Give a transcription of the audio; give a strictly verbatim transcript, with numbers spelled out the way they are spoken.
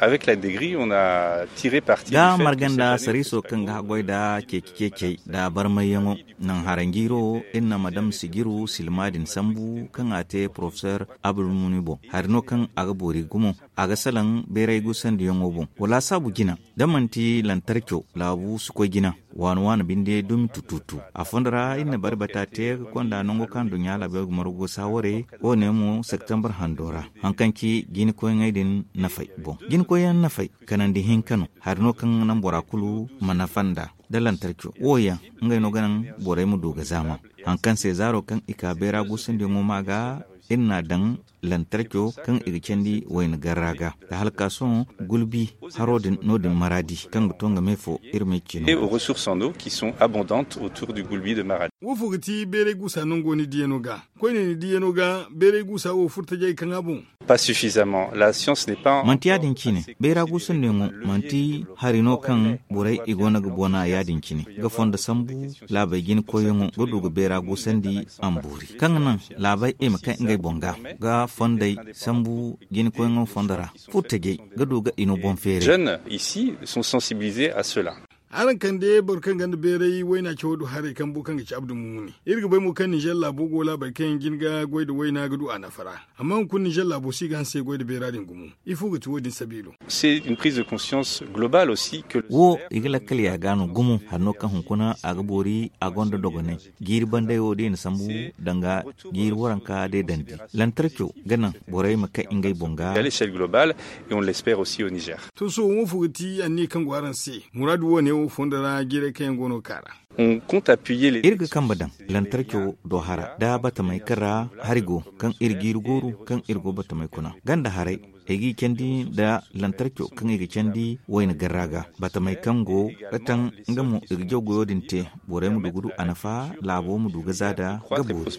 Avec la degri on a tiré parti da marganda sariiso kaŋ ga haggoy da ceeci ceecey da barmayyaŋo. Naŋ haranjiiro iri na madam sijiru silma din sambu kaŋ a te porofesor abdulmuni boŋ hari no kaŋ a ga boori gumo. A ga salaŋ bayray guusandiyaŋo boŋ wala saabu jina da manti lantarco laabu si koy jina. Waani waani binde dumi tututu a fondo ra iri na bari bata te ga konda nango kaŋ duɲɲa laabey ga margu saawarey. Wo ne mo septembre hando ra haŋ kaŋ ci jinikoyŋey din nafay boŋ. Jinikoyyaŋ nafay kanandi hinka no hari no kaŋ naŋ bora kulu ma nafa nd'a da lantarco wo yaŋ ngey no ga naŋ borey ma du ga zaama. Haŋ kaŋ se zaaro kaŋ i ka bayra guusandiyaŋo ma ga iri n'a daŋ lantarco kaŋ i ga candi wayna garra ga da hala ka sohõ gulbi haro din no- din maraadi kaŋ ga to nga me fo iri ma ay cino. Et aux ressources en eau qui sont abondantes autour du gulbi de maradi. Wo fo ga ti bayray guusa nango ni diyano ga koyne ni diyano ga bayray guusa wo furtajey kaŋ a boŋ. Pas suffisamment la science n'est pas manti yaadin cine. Bayra guusandiyaŋo manti hari no kaŋ borey i go no ga bona yaadin cine ga fondo sambu laabey jinikoyyaŋo ga du ga bayra guusandi. Amboori kaŋ ga naŋ laabey i ma kay ngey boŋ ga ga fondey sambu jinikoyyaŋo fondo ra furtajey ga du ga i no boŋ feeray. Jeunes ici sont sensibilisés à cela. Araŋ kande boro kaŋ gonda bayray wayna cawo du haray kambu kaŋ ga ci abdu mumuni. Iri ga bay mo kaŋ ninzeer laabo go laabey kaŋ yaŋ jin ga goy nda wayna ga du a nafa ra. Amma hunkuna ninzeer laabo si ga hanse goy nda bayra din gumo. Ifo ga ti wo- din sabiilo? C'est une prise de conscience globale aussi que wo i ga lakkal ya ga no gumo hari no kaŋ hunkuna a ga boori a gonda dogonay. Jiiri banday wo da i na sambu danga jiiri waranka day dandi lantarco ga naŋ borey ma kay ngey boŋ ga. L'échelle globale et on l'espère aussi au niger. To sohõ wo fo ga ti anniya kaŋ go araŋ se? Muraadu wo- ne wo fondo ra jiirey kaŋ yaŋ go no ga ka ra. Iri ga kambe daŋ lantarco do hara da batamey kaŋ ra hari go kaŋ iri jiiri gooru kaŋ iri go batamey kuna ganda haray. Ay g'i candi nda lantarco kaŋ i ga candi wayna garra ga batamey kaŋ go ga taŋ nga mo i ga jaw goyo din te. Borey ma du ga du a nafa laabo ma du ga za da ga boori.